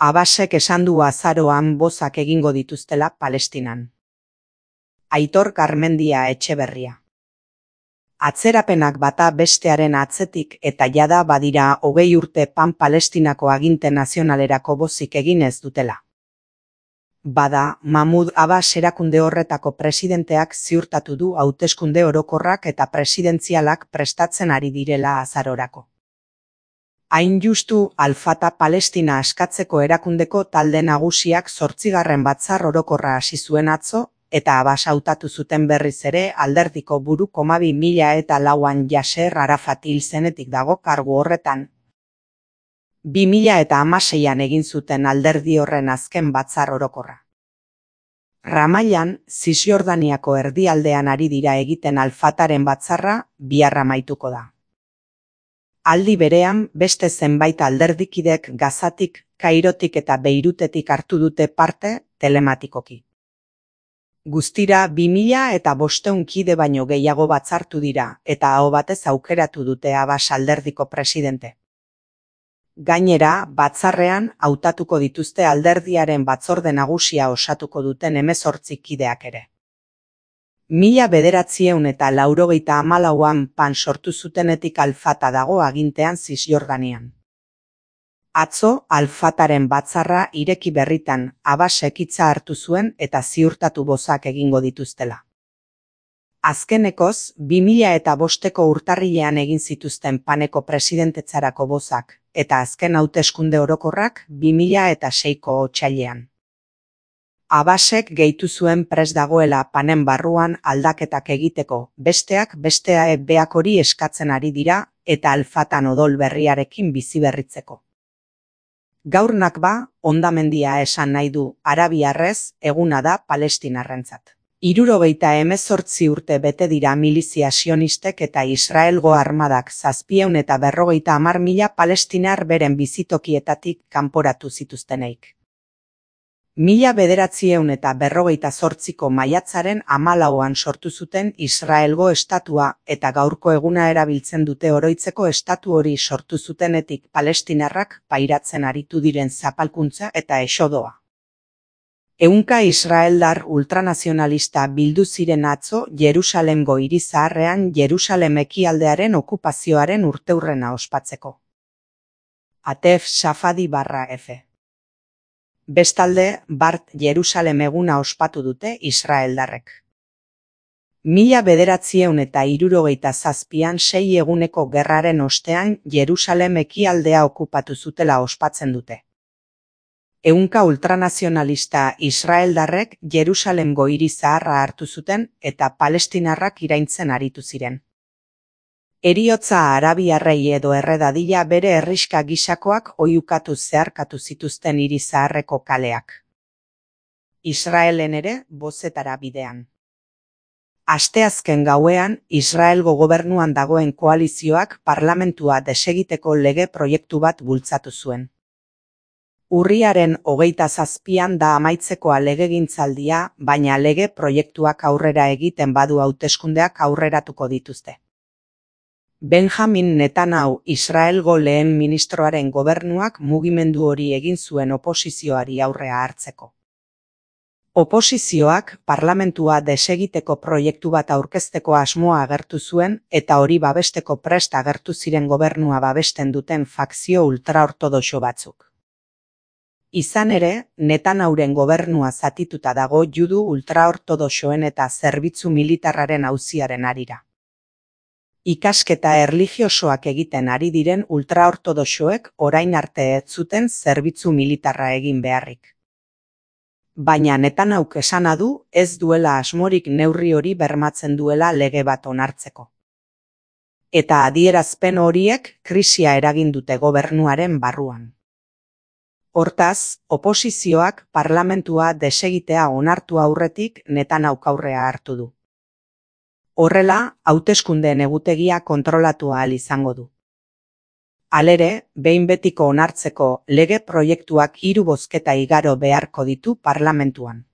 Abbasek esan du azaroan bozak egingo dituztela Palestinan. Aitor Garmendia Etxeberria. Atzerapenak bata bestearen atzetik eta jada badira 20 urte Palestinako aginte nazionalerako bozik egin ez dutela. Bada, Mahmud Abbas erakunde horretako presidenteak ziurtatu du hauteskunde orokorrak eta presidentzialak prestatzen ari direla azarorako. Hain justu, Al-Fatah Palestina askatzeko erakundeko talde nagusiak 8. batzar orokorra hasi zuen atzo, eta Abbas hautatu zuten berriz ere alderdiko buru. 2004an Yasser Arafat hil zenetik dago kargu horretan. 2016an egin zuten alderdi horren azken batzar orokorra. Ramallan, Zisjordaniako erdialdean ari dira egiten Al-Fataren batzarra, bihar amaituko da. Aldi berean, beste zenbait alderdikidek Gazatik, Kairotik eta Beirutetik hartu dute parte, telematikoki. Guztira 2500 kide baino gehiago batzartu dira, eta aho batez aukeratu dute Abbas alderdiko presidente. Gainera, batzarrean hautatuko dituzte alderdiaren batzorde nagusia osatuko duten 18 kideak ere. 1994an PAN sortu zutenetik Al-Fatah dago agintean Zisjordanian. Atzo, Al-Fataren batzarra ireki berritan Abbasek hitza hartu zuen eta ziurtatu bozak egingo dituztela. Azkenekoz, 2005ko urtarrilean egin zituzten PANeko presidentetzarako bozak, eta azken hauteskunde orokorrak 2006ko otsailean. Abbasek gehitu zuen prest dagoela PANen barruan aldaketak egiteko, besteak bestea beak hori eskatzen ari dira eta Al-Fatah odol berriarekin bizi berritzeko. Gaur Nakba, hondamendia esan nahi du, arabiarrez, eguna da palestinarrentzat. 78 urte bete dira milizia sionistek eta Israelgo armadak 750.000 palestinar beren bizitokietatik kanporatu zituzteneik. 1948ko maiatzaren 14an sortu zuten Israelgo estatua eta gaurko eguna erabiltzen dute oroitzeko estatu hori sortu zutenetik palestinarrak pairatzen aritu diren zapalkuntza eta esodoa. Ehunka israeldar ultranazionalista bildu ziren atzo Jerusalemgo hiri zaharrean Jerusalem ekialdearen okupazioaren urteurrena ospatzeko. Atef Safadi/F. Bestalde, Bart Jerusalem eguna ospatu dute israeldarrek. 1967an 6 eguneko gerraren ostean Jerusalem ekialdea okupatu zutela ospatzen dute. Ehunka ultranazionalista israeldarrek Jerusalemgo hiri zaharra hartu zuten eta palestinarrak iraintzen aritu ziren. Heriotza arabiarrei edo erredadila bere herriska gisakoak oihukatu zeharkatu zituzten hiri zaharreko kaleak. Israelen ere bozetara bidean. Asteazken gauean, Israelgo gobernuan dagoen koalizioak parlamentua desegiteko lege proiektu bat bultzatu zuen. Urriaren 27an da amaitzekoa legegintzaldia, baina lege proiektuak aurrera egiten badu hauteskundeak aurreratuko dituzte. Benjamin Netanyahu Israelgo lehen ministroaren gobernuak mugimendu hori egin zuen oposizioari aurrea hartzeko. Oposizioak parlamentua desegiteko proiektu bat aurkezteko asmoa agertu zuen eta hori babesteko prest agertu ziren gobernua babesten duten fakzio ultraortodoxo batzuk. Izan ere, Netanyahuren gobernua zatituta dago judu ultraortodoxoen eta zerbitzu militarraren auziaren harira. Ikasketa erlijiosoak egiten ari diren ultraortodoxoek orain arte ez zuten zerbitzu militarra egin beharrik. Baina Netanyahuk esana du ez duela asmorik neurri hori bermatzen duela lege bat onartzeko. Eta adierazpen horiek krisia eragin dute gobernuaren barruan. Hortaz, oposizioak parlamentua desegitea onartu aurretik Netanyahuk aurrea hartu du. Horrela, hauteskundeen egutegia kontrolatu ahal izango du. Halere, behin betiko onartzeko lege proiektuak 3 bozketa igaro beharko ditu parlamentuan.